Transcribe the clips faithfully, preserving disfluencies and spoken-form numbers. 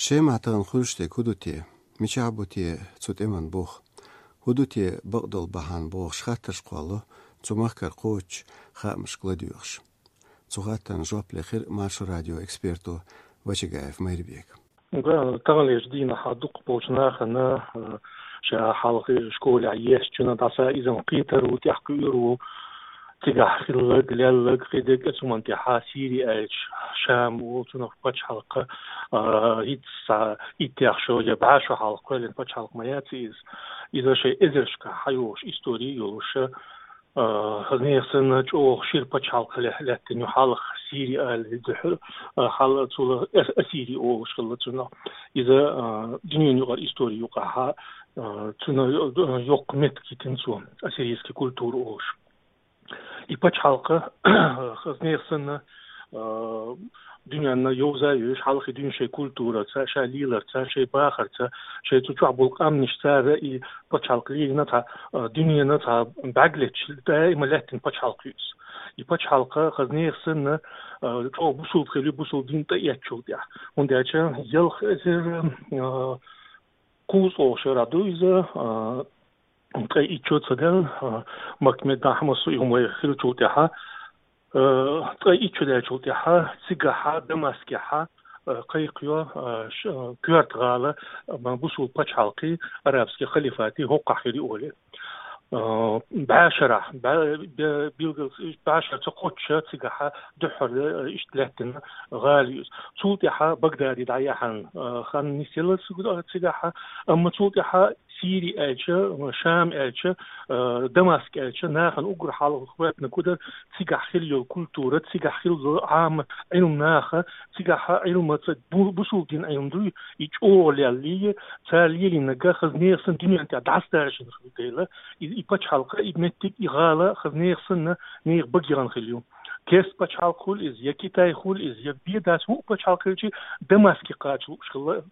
Шемахь тахана хуьлуш дерг хӀун ду те? Мичахь бу те цу тӀеман бух? ХӀун ду те бакъдолу бахьана бохуш хаттарш кхолло цу махкара кхочуш, хаамашка ладоьгӀуш. Цу хаттарна жоп лехира Маршо радион эксперто Вачагаев Майрбека. Таханлерчу дийнахь дукхахболчу нахана, а, ша хьалха школехь естчунна дӀаса иза кхетар ву, тӀехь кхуьур ву, цигахь хилларг, лелларг, кхидерг а цу хӀуманна тӀехь Сири аьлча, Шам ву, цунах пачхьалкх, а, хӀинца иттех шо я бӀе шо хьалха кхоьллина пачхьалкх ма яц иза. Иза шайн эзаршкахь хьайогӀуш истори йолуш, а, хаза нехан санна чӀогӀа шира пачхьалкх ле-, лаьттина ю хьалха Сири аьлла дуьхьал, а, хьал цул а-, Ассири олуш хилла цунах. Иза, а, дуьненан юкъара истори юкъахь, а, цунах йо-, йоккха меттиг йитина цо, ассирийский культура олуш. И пачхьалкх хаза нехан санна, а, дуьненна йовза а йовзуш, хьалхе дуьйна шайн культурца, шайн леларца, шайн бахарца, шайн цу чохь болу къаьмнаш, цара и пачхьалкх лелийна цхьа, а, дуьненан цхьа бӀаьрг леташ, даима лаьттина пачхьалкх ю иза. И пачхьалкх хаза нехан санна, а, чӀогӀа бусулба хилла ю, бусулба дин тӀеэцначул тӀехь. ХӀунда аьлча ялх эзар, а, кхузткъа шарахь ду иза, а, ткъе итт шо ца даьлла, а, Макка-Медина хьамассо и хӀума хиллачул тӀаьхьа, а, ткъе итт шо даьллачул тӀаьхьа, цигахь Дамаскехь, а, кхайкхайо, а, ш-, а, коьрта гӀала, а, бусулба пачхьалкхий, арабский халифатий хӀокхахь хир ю олий. А, бӀе шарахь, бӀе-, бе-, билггал бӀе шар ца кхоччуш цигахь дуьххьара, а, иштта лаьттина гӀала ю иза. Цул тӀаьхьа Багдади дӀаяьхьна, а, хан нисъелла цигахь, амма цул тӀаьхьа Сири аьлча, Шам аьлча, а, Дамаск аьлча, нахана уггар хьалха хӀоьттина кудар цигахь хилла йолу культура, цигахь хилла йолу Ӏама Ӏилма наха, цигахь Ӏилмаца бу-, бусулба дин Ӏилма дуй, и чӀогӀа леллий, цара лелийнарг хаза нехан санна дуьненна тӀехь дӀасадаржийна хилла дела, и, и пачхьалкх, и меттиг, и гӀала хаза нехан санна нехан баге яхана хилла ю. Керста пачхьалкх хуьлу иза, я Китай хуьлу иза, я бен дац хӀуъа пачхьалкх хилча, Дамаске кхача лууш хилла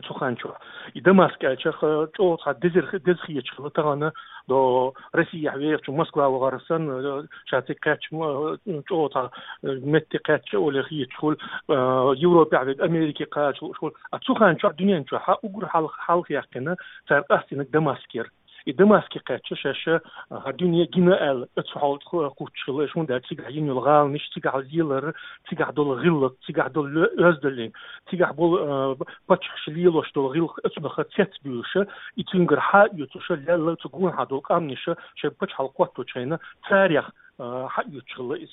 цу хан чохь. И Дамаск аьлча, ха, чӀогӀа цхьа деза, деза хеташ хилла тахана, до Россехь вехачу Москва вахар санна, ша цига кхаьчча, ма, чӀогӀа цхьа, э, метте кхаьчча олий хеташ хуьлу, э, Европехь вега Америке кхача лууш хуьлу. А цу хан чохь дуьнен чохь уггар хьалха, хьалха яьккхина, цара къастийнарг Дамаск яра. И Дамаске кхаьчча шаьш, а, хӀара дуьне гина аьлла, оцу хьолехь кху-, кхуьттуш хилла, хӀунда аьлча цигахь йина йолу гӀаланаш, цигахь лелар, цигахь долу гӀиллакх, цигахь долу ле-, оьздангаллин, цигахь болу, а, паччахьаш лелош долу гӀиллакх оцунах цецбуьйлуш, и цуьнгара хьаоьцуш, лелла цу гонахьа долу къаьмнаш шайн пачхьалкх хӀотточу хенахь, царех, а, хьаоьцуш хилла иза.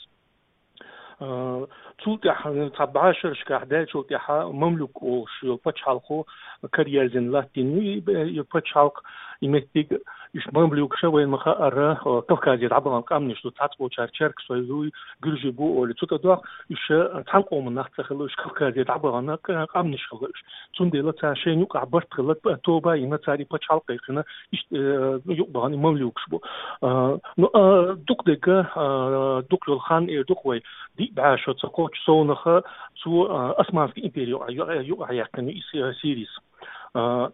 А, цул тӀаьхьа, цхьа бӀе шерашкахь даьллачул тӀаьхьа мамлюк олуш йолу пачхьалкхо караерзина латтийна ю и, и пачхьалкх, и меттиг, уьш мамлюкаш вайна ма-хаъара, а, Кавказе дӀабахана къаьмнаш ду, цхьацболчара черкаш дуй, гуьржий бу олий. Цу тӀадогӀу уьш, а, цхьана къоман нах ца хилла, уьш Кавказе дӀабахана къ-, къаьмнаш хилла уьш. Цундела царна шайна юкъахь барт хилла, т-, тоба а йина, цара и пачхьалкх кхайкхина, иштта, э, юкъа бахана и мамлюкаш бу. А, ну, а, дукха дерг, а, дукха йолу хан эр ду-кх вай, диъ бӀе шо ца кхоччуш совнаха цо, а, Османский импери юкъа-, юкъа-, юкъахь яьккхина и Си-, Сирис. А,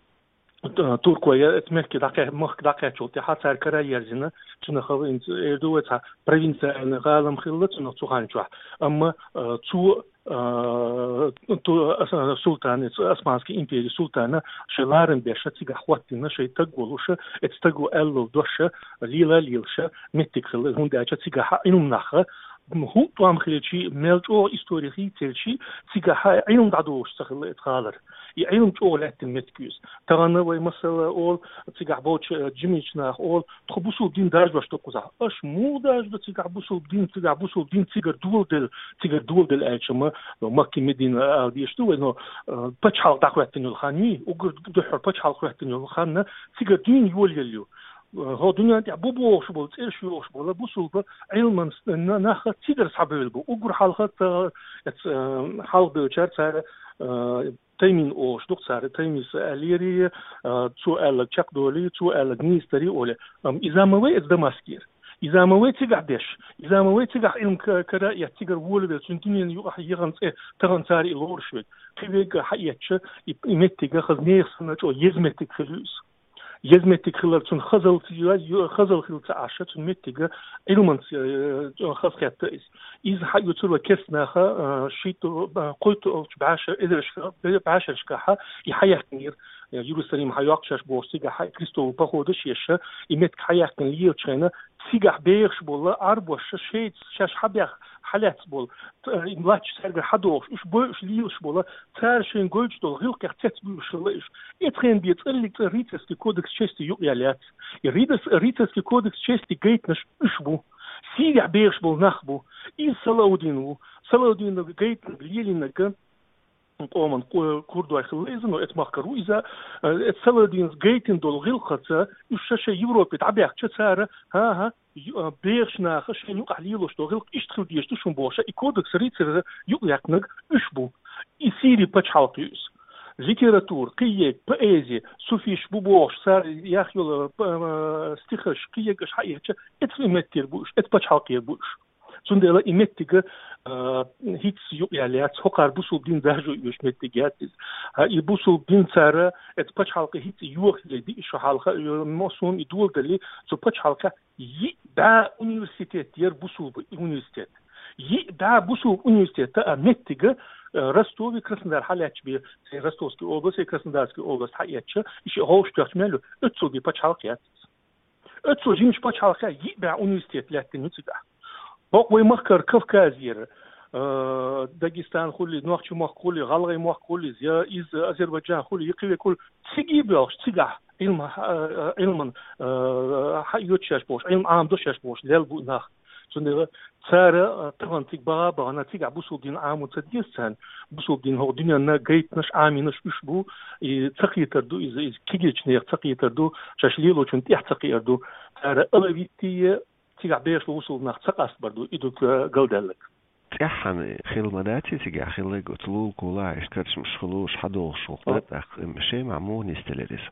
т-, туркой я, эцу Мекке дӀакхе-, Мекке дӀакхаьччул тӀаьхьа цара караерзина, цунах хӀинца эр ду вай цхьа провинциальный гӀала-м хилла цунах цу хан чохь. Амма, а, цо а, ту-, а, султан, эцу Османский империн султана шайн ларам беш цигахь хӀоттийна, шайн стаг волуш, эцу стага аьллал дош лела а лелаш меттиг хилла, хӀунда аьлча цигахь Ӏилма нах, хӀун тӀом хилчий, мел чӀогӀа истори хийцаелчий, цигахь Ӏилма дӀадолуш ца хилла эцу гӀалара. И Ӏилма чӀогӀа лаьттина меттиг ю иза. Тахана вай масала олу, цигахь болчу, э, жимичу наха олу, тхо бусулба дин даржош ду кхузахь. Аша муха даржадо цигахь бусулба дин, цигахь бусулба дин цигара доладелла, цигара доладелла аьлча ма, Макка, Медина ала дезаш ду вай, но, э, пачхьалкх дӀахӀоьттина йолу хан юй, уггар дуьххьара пачхьалкх хӀоьттина йолу хан цигара дуьйна йолаелла ю. Э, хӀо дуьнен тӀехь бу бохуш болу, цӀераш йохуш болу бусулба Ӏилман с-, на-, нах цигара схьабевлла бу. Уггар хьалха ца-, эц-, э, хьалха бевллачара цара, э, Таймин олуш ду-кх цара, Таймис аьллера, а, цо аьлларг чекхдолий, цо аьлларг нийса дарий олий. Амма иза ма вай эцу Дамаскера. Иза ма вай цигахь деш. Иза ма вай цигахь Ӏилма ка-, кара а эцна, цигара волавелла, цуьнан дуьненан юкъахь яхана цӀе тахана цара и лоруш верг. Кхин верг а хьаэцча, и, и меттиг хаза нехан санна чӀогӀа еза меттиг хир ю иза. Еза меттиг хилар цун хазал ц-, ю-, хазал хилла ца Ӏаш, цун меттига Ӏилманца, э, хазахетта из. Из хьаоьцур вай керста наха, э, шийтта, э, кхойтталгӀача бӀаьша-, эзарашка, бӀаьшерашкахьа и хьаяьккхинера, э, Иерусалим хьайоаккх шоаш бохуш, цигахьа и крестовый походаш еш, и меттиг хьаяьккхина лелача хенна, цигахь бехаш бола Ӏарбоша шоайца шоаш хьабаьхка, хьалаьцна бола, т-, э, латташ цаьргара хьадоагӀаш, уьш бойуш лелаш бола, цара шоашта гойташ долча гӀиллакхех цецбуьйлуш хилла уьш. Эцу хенна бе цӀераллиг цӀа рыцарский кодекс чести юкъаяьлла яц. И рыцар-, рыцарский кодекс чести гайтинарш уьш бу. Сирехь бехаш бола нах бу. Из Салаудин ву. Салаудина гайтинарг, лелийнарг, къоман ку-, курдой хилла иза, но эцу махкара ву иза. Э, эцу Салаудина гайтина долу гӀиллакхаца уьш шоаш Европе дӀабаьхча, цара, хӀан-хӀа, ю-, а, бехачу наха шайна юкъахь лелош долу гӀиллакх иштта хила дезаш ду шуна бохуш, и кодекс рыцарера юкъаяьккхинарг уьш бу. И Сирин пачхьалкх ю иза. Литература, кхиерг, поэзи, суфиш бу бохуш, цара яхъеш йолу, а, стихаш, кхиерг аша хьаэцча, эцу меттера бу уьш, эцу пачхьалкхера бу уьш. Цундела и меттига, а, хӀинцца юкъаяьлла яц, хӀокхара бусулба дин даржо оьшу меттиг яц иза. А, и бусулба дин цара эцу пачхьалкхе хӀинцца йохаяле, диъ шо хьалха, а, массо а и доладале, цу пачхьалкхехь йиъ бӀе университет яра, бусулба университет. Йиъ бӀе бусулба университет, а, меттига, а, Ростове, Краснодар хьалаьтташ бен, сайн Ростовский область, сайн Краснодарский область хьаэцча, и шиъ хьовш тоьхча мел ю, оццул бен пачхьалкх яц иза. Оццул жимачу пачхьалкхехь йиъ бӀе университет лаьттина ю цигахь. Бакъ вай махкара Кавказера, а, Дагестан хуьлий, Нохчийн мохк хуьлий, ГӀалгӀайн мохк хуьлий, я иза Азербайджан хуьлий, я кхин верг хуьлий, цига а боьлхуш, цигахь Ӏилма, а, Ӏилман, а, хьаоьцуш шаьш бохуш, Ӏилма Ӏамадо шаьш бохуш лелла бу нах. Цундела цара, а, тахана цига баха а бахана, цигахь бусулба дин Ӏамо ца деза царна. Бусулба дин хӀокху дуьненна гайтинарш, Ӏамийнарш уьш бу, и ца кхетар ду иза, иза кегийчу нехан ца кхетар ду, шаьш лелочунна тӀехь ца кхиар ду. Цара алавитий, цигахь бехаш бусулба нах ца къастабар ду, и ду галдаьлларг. ТӀаьххьана хилла ма дац и цигахь хилларг, оцу лулахула иштта карчамаш хуьлуш, хьадогӀуш ву-кх, тӀаккха Шемахь муха нисделира иза?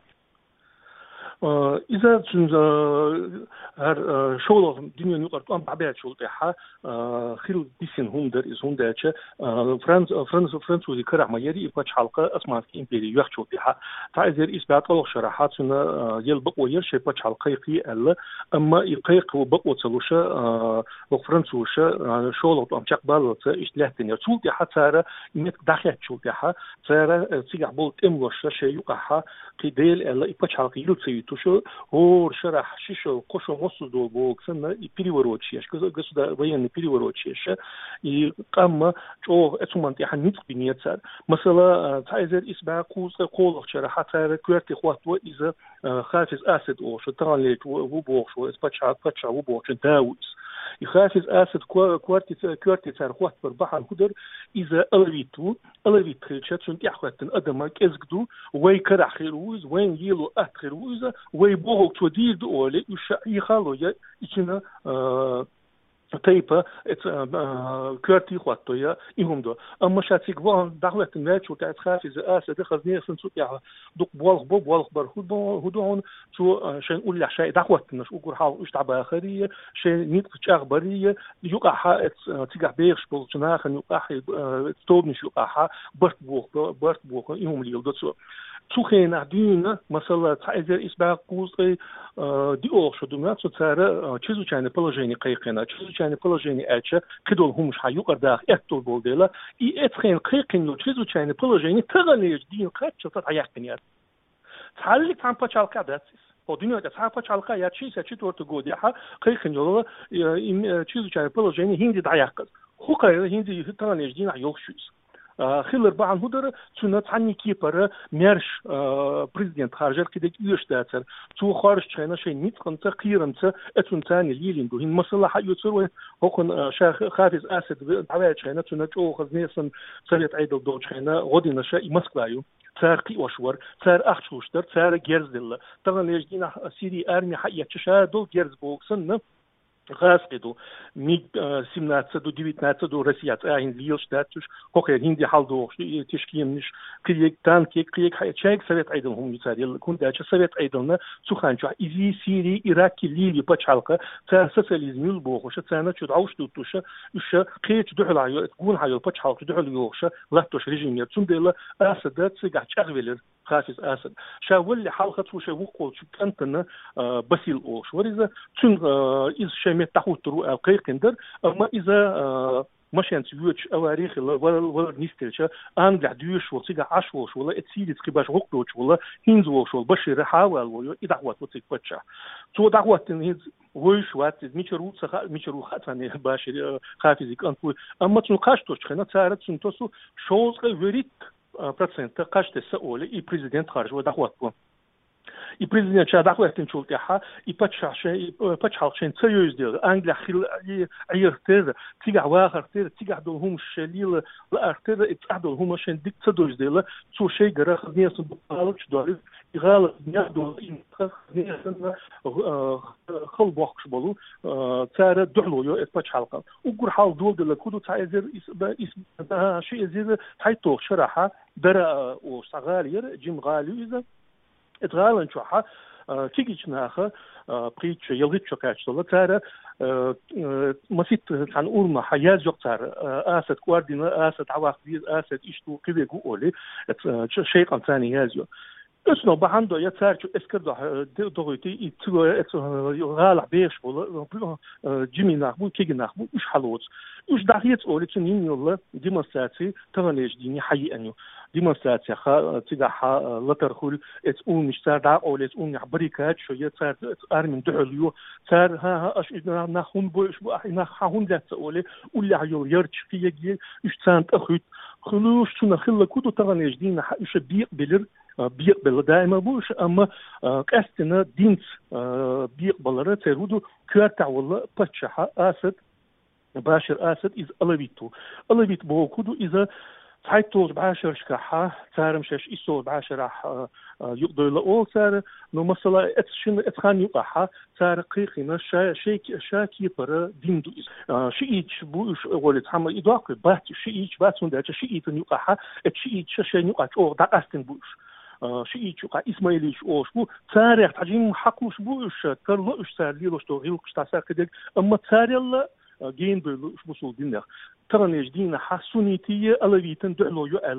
А, иза цуьнан, а, хӀара, а, шолгӀа дуьненан юкъара тӀом дӀабаьллачул тӀаьхьа, а, хилла дисина хӀума дара иза, хӀунда аьлча, а, франц-, а, франц-, французийн карахь ма яра и пачхьалкх Османский импери йоьхначул тӀаьхьа. Цхьа эзар исс бӀе ткъолгӀачу шарахь цуьнан, а, яла бакъо яра шайн пачхьалкх кхайкхий аьлла, амма и кхайкхо бакъо ца луш, а, хӀокху французаша, а, шолгӀа тӀом чекхбаллалц иштта лаьттина яра. Цул тӀаьхьа цара и меттиг дӀахецначул тӀаьхьа, цара, а, цигахь болу тӀемалошша шайн юкъахьа кхин дела аьлла, и пачхьалкх йила ца юьтуш, хӀора шарахь ши шо, кхо шо массо а долу бохург санна, и переворот еш, госу-, государ-, военный переворот еш, и къам чӀогӀа оцу хӀуманна тӀехь ницкъ бинера цара. Масала, а, цхьа эзар исс бӀе кхузткъе кхоалгӀачу шарахь цара коьрте хӀотто иза, а, Хафиз Асад олуш, таханлерчу ву, ву бохуш ву, иза пачхьа-, пачхьа ву бохучун да ву иза. И Хафиз Асад ко-, коьрте ца-, коьрте цара хӀоттабар бахьана хӀун дара, иза алавит ву, алавит хилча, цунна тӀаьхьахӀоьттина адам кӀезиг ду, вай карахь хир ву иза, вайна лело атта хир ву иза, вай бохург цо дийр ду олий, уьш Ӏехало я, и цуьнан, а, тайпа, эца, а, коьрте хӀотто я, и хӀума до. Амма ша цига вахана дӀахӀоьттина ваьллачул тӀаьхьа Хафиз Асада хазне сан цу тӀехь дукха болх бо, болх бар хӀу бо, хӀу ду хьуна, цо, а, шайн уллехь шай дӀахӀоттинарш уггар хьалха уьш дӀабахарий, шайн ницкъ чӀагӀбарий, юкъахьа эц, а, цигахь бехаш болчу нахана юкъахьа, а, тобанаш юкъахьа барт боху, барт боху, и хӀума леладо цо. Цу хенахь дуьйна, масала, цхьа эзар исс бӀе кхузткъе, а, диъолгӀа шо ду моьтту цо, цара, а, чрезвычайное положение кхайкхина. Чрезвычайное положение аьлча, кхидолу хӀуманаш хьан юкъара даха аьтту болу дела, и эцу хенахь кхайкхина йолу чрезвычайное положение таханлерчу дийна кхаччалца дӀаяьккхина яц. Цхьаллиг цхьана пачхьалкхехь дац иза. Хьо дуьнен тӀе цхьа пачхьалкхехь яц, шестьдесят четвёртый годехь кхайкхина йолу, э, им, э, чрезвычайное положение хӀинца дӀаяьккхина. ХӀу кхайра, хӀинца таханлерчу дийнахь йолуш ю иза. А, хилар бахьана хӀун дара, цуьнан цхьанний кепара маьрша, а, президент харжар кхидерг оьшуш дацара. Цо хоржучу хенахь шайн ницкъанца, кхерамца, э, цунна царна лелийна ду. ХӀинца масала хьаоьцур вайн, хӀокхуьнан, а, ша Хафиз Асад дӀаваьллачу хенахь, цуьнан чӀогӀа хазне сан совет Ӏедал долчу хенахь гӀо динарш и Москва ю. Цара кхиош вара, цара ахча луш дара, цара герз делла. Таханлерчу дийнахь Сирин арми хьаэцча, ша долу герз боху санна, гӀазкхи ду. МиГ, а, семнадцать ду, девятнадцать ду, Россия цӀа хӀинца лелаш дац уьш, кхокхера хӀинца хьалдогӀуш ду, и тешкеманаш, кхиерг, танкерг, кхиерг хьаэцча, шайга совет Ӏедалан хӀума ю цара елла. ХӀунда аьлча совет Ӏедална цу ханчохь изий, Сири, Ирак, Ливи пачхьалкха, цара социализм юл бохуша, царна чу дӀовш дуттуша, уьш кхечу дуьхьалахь йо-, гонахьа йолу пачхьалкхаш дуьхьал йохуша, латтош режим яра. Цундела Асада цигахь чӀагӀвелира. Хафиз Асад. Ша валлалца хьалха цо шоай воккхагӀволча кӀантана, а, Басил олуш вар иза. Цуьнга, а, иза шоай метта дӀахӀуттур ву аьлла кхайкхина дара, амма иза, а, машенца йоьдуш авари хилла, валар, валар нисделча, Англехь доьшуш волу, цигахь Ӏаш волуш волу, эцу Сирица кхин башха гӀуллакх доцуш волу, хӀинца волуш волу Башир хьаваьлла ву, и дӀахӀоттаво цига паччахь. Цо дӀахӀоттийна хӀинца вовзаш вац иза, мичара ву ца хаьа, мичара ву хаьа царна, Башир, а, Хафизан кӀант ву. Амма цунна кхаж тосучу хенахь цара цунна тосу шовзткъе вуьрхӀитта, а, процент кхаж тесса олий, и президент харжа ван дӀахӀоттаво. И президент ша дӀахӀоьттинчул тӀаьхьа и паччахь шайн, и, э, пачхьалкх шайна ца йовза дела, Англехь хила, и, Ӏехарх терра, цигахь вахарх терра, цигахь долу хӀуманаш шайн лела лаарх терра, и цӀахь долу хӀума шайна дика ца довза дела, цо шайгара хазнесан дукха гӀалаташ долуш, и гӀалат нах долу, и нах хазнесан, э, хала бохкуш болу, э, цара дуьхьало йо эцу пачхьалкхана. Уггар хьалха доладелларг хӀун ду, цхьа эзар ис-, ба-, ис-, а, ши эзар цхьайтталгӀачу шарахь Дара, э, олуш цхьа гӀала яра, жима гӀала ю иза. Эцу гӀалан чохь, а, кегийчу наха, а, пхийтта шо, ялхитта шо кхаьчна долу, цара, а, а, масийтта цхьана урамехь язйо-кх цара, а, Асад кӀордийна, Асад дӀаваккха веза, Асад иштта ву, кхин верг ву олий, эцу, а, чу-, шайн кӀантана язйо. Оцунах бахьана дой, я цара чу эскар дохь-, а, д-, дохуьйтий, и цигара эцу, а, гӀалахь бехаш болу, а, а, жимий нах бу, кегий нах бу, уьш хьалоцу. Уьш дӀахеца олий, цунна йина йолу демонстраци таханлерчу дийне хьаеана ю. Демонстрацехь, а, цигахь, а, латар хуьлу, эцу урамаш цара дӀакъовлу, эцу урамехь баррикадаш йо, я цара эцу армина дуьхьал йо. Цара, хӀан-хӀа, аша и нах хӀунда бойуш бу, ахь и нах хьан хӀунда лаьцна олий, уллехь йолу ярташ, кхин ерг, уьш царна тӀе хуьтту. Хуьлуш цунах хилларг хӀун ду, таханлерчу дийнахь уьш бекъабелира, а, бекъабелла даима бу уьш, амма, а, къаьстина динца, а, бекъабалара церан хӀун ду, коьртехь волу паччахь Асад, Башир Асад, иза алавит ву. Алавит бохург хӀун ду, иза цхьайтталгӀачу бӀешерашкахь, цара-м шаьш иссалгӀачу бӀешарахь, а, а, юкъадевлла олу цара, но масала эцу шина, эцу ханна юкъахь цара кхайкхина ша, шайн ке-, ша кепара дин ду иза. А, шииташ бу уьш, гӀоле цхьамма и доккхий бац, шииташ бац, хӀунда аьлча шиитан юкъахь, эцу шииташа шайна юкъахь чӀогӀа дӀакъастина бу уьш. А, шииташ юкъахь исмаилиташ олуш бу, царех цхьа жимма хьакхалуш бу уьш, тарло уьш цара лелош долу гӀиллакхаш, дӀаса кхидерг, амма царел а, а, генадевлла уьш бусулба динех. Таханлерчу дийнахь суннитийн алавитийн дуьхьало ю аьлла,